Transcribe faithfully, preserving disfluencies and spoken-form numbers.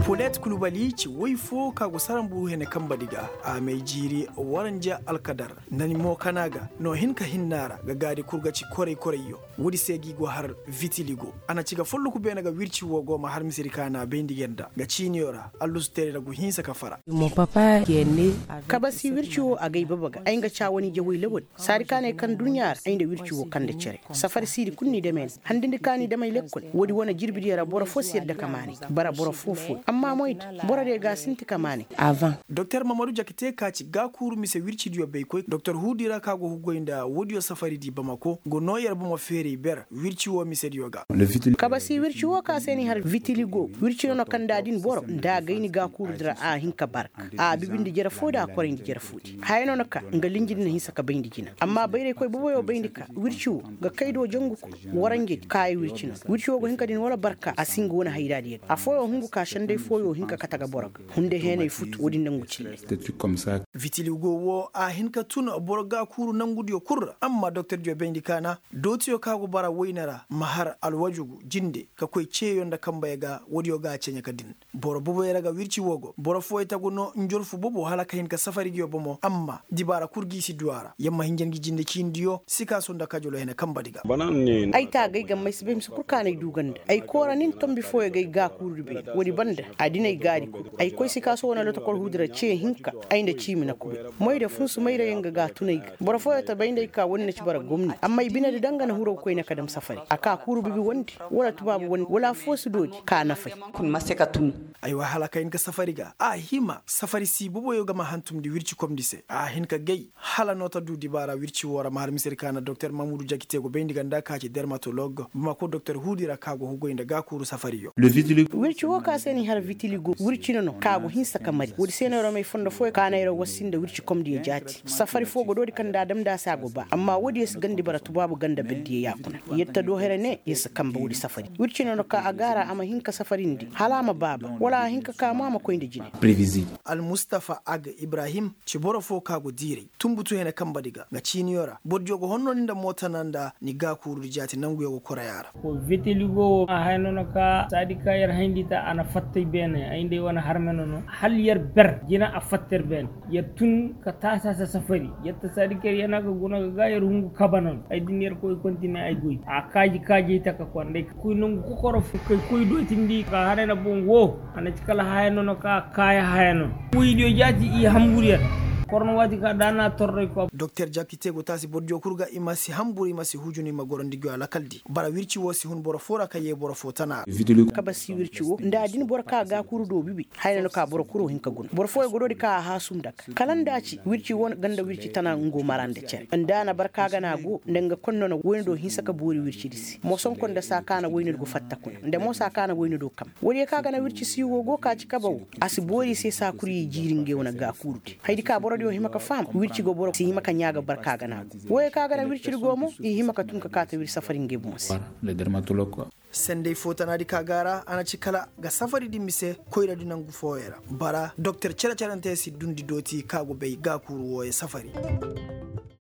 Polet kulubali ci woy fo ka go saranburu hene kanbadi ga. A may jiiri waranja alkadar nani mo kana ga no hin ka hinna ra ga gaadi kul ga ci koray-korayyo. Woodi se ga i go har vitiligo. A na ci ga folloku beene ga wirci wo go ma har misedi ka na bayndi ga nda ga ciiniyo ra allusu teeri ra gu hinsa ka fara. Kabasi wirci wo a gay baba ga ay nga ca wane jawey lawal. Saadi ka ne kaŋ duɲɲa ra ay nda wirci wo kande cere. Safari siidi kul n'i dam ay ne handindi ka n'i dam ay lekkol. Woodi wane jirbidiyo ra boro fo si yadda ka maanay bara boro foo-fooyo amma moyda borodiyo ga a sinti ka maanay. Doktor mamadu jakite ka ci gaakuuru mise wircidiyo baykoy doktor huudi ra ka go hugoy nda woodiyo safaridi bamako go noo yer bomo feeray ber wirci wo misediyo ga. Kabasi wirci wo ka se n'i har vitiligo wirci nono kaŋ nda a din boro nda a gay ni gaakuurudi ra a hin ka barka. A bibindi jere foo da a korayndi jere foodi haya nono ka nga linjidi na hinsa ka bayndi jina amma bayraykoy boboyo bayndi ka wirci wo ga kay do jangu kul. Waranjedi kaaya wirci nono wirci wo ga hin ka din wala barka a si nga wane hayraadiyo ga afooyo hungu ka senday fooyo hin ka kate ga boro ga hunday heenay futu woodin nangu cille. Vitiligo wo a hin ka tun boro gaakuuru nangudiyo kul ra amma doktordiyo bayndi kaana dootiyo ka go bara wayne ra ma har alwajugu jinde ka koy ceeyo nda kanbey ga woodiyo ga a ceɲe ka din. Boro boboyo ra ga wirci wo go boro fooyo tagu no njorfu bobo hala ka hin ka safaridiyo bomo amma dibaara kul g'i si du a ra yamma hinja ngi jinde ciinidiyo sikaaso nda kajolo hene kanbadi ga. Ay taagay gamma ay si bay mise kul kaanay du ganda ay koora nin tombi fooyo ga ay gaakuurudi beene woodi banda a din ay gaadi kul ay koy sikaaso wane lotokol huudi ra cee hinka. Ay nda ciimi na kubay moy da funsu mayra yaŋ ga ga a tun ay ga boro fooyo ta bay nda ay ka woodi na ci bara gomni amma ay binedi daŋ ga na huru ga koy ne ka dam safari a ka kuuru bibi wandi wala tubaabu wandi wala affoo si doodi ka nafay. Aywa hala ka hin ka safari ga a hima safari si boboyo ga ma hantumndi wircikomndi se a hin ka gay hala no ta du dibaara wirci woo ra ma har misedi ka na doktor mamudu jakite go bayndi ga nda ka ci dermatolog bamako doktor huudi ra ka go hugoy nda gaakuuru safariyo. Wirci woo ka se n'i har vitiligo wirci no no ka go hinsa ka mari woodi se no yer may fondo fooyo ka na yer wassi nda wircikomdiyo jaati safari foo go doodi kaŋ nda a damndi a se a go ba amma woodiyo si gandi bara tubaabu ganda berdiyo yaakuna. Yer ta doo here ne yer si kanba woodi safari wirci no no ka a gaara a ma hin ka safarindi hala a ma baaba wala a hin ka ka mo a ma koy nda jine. Almustafa ag ibrahim ci boro foo ka go diiray tunbutu hene kanbadi ga nga ciiniyo ra bordiyo go honno ni nda mootana nda ni gaakuurudi jaati nanguyo go koray a ra. Vitiligo wo a haya no no ka saadi ka yer hayndi ta a na fatta ay beene ay nda ay wane harme no no hala yer ber jina a fatta yer beene. Yer tun ka taasi a se safari yer ta saadi ka yer yana ga guna ga ga yer hungu kaba no no ay din yer koy kontine ay goy a kaaji kaajey taka konday ka koy nangu kokoro fo kay koy dootindi ka haray na boŋ wo. A na ci kala haya no no ka kaaya haya no no woydiyo jaati i hambur yer. Korno waati ka da na torray ko. Doktor jakite go taasi bordiyo kul ga i ma si hambur i ma si hujun i ma goro nda i go alakaldi bara wirci wo si hun boro foo ra ka yee boro foo tana ra. Kabasi wirci wo nda a din boro ka gaakuuru do bibi haya no no ka boro kul wo hin ka guna boro fooyo go doodi ka a haasu nda ka kala nda a ci wirci wo ganda wirci tana nga go mara nda cere nda a na barka gana go nda nga konno no woyne do hinsa ka boori wircidi se moosonko nda saa ka na woyne do go fatta kuna nda mo saa ka na woyne do kam woodiyo ka gana wirci siiwo go ka ci kaba wo. A si boori i se saa kul ye jiiri ngey wane gaakuurudi hayadi ka borodiyo hima ka faham wirci go boro si hima ka ɲaa ga barka gana go woyo ka gana wircidi go mo i hima ka tun ka kaata wirci safari ngey boŋ se. Senday foo tanaadi ka ga a ra a na ci kala ga safaridi mise koyradi nangu fooyo ra bara doktor cere-cerante si dundi dooti ka go bay gaakuuru wooyo safari.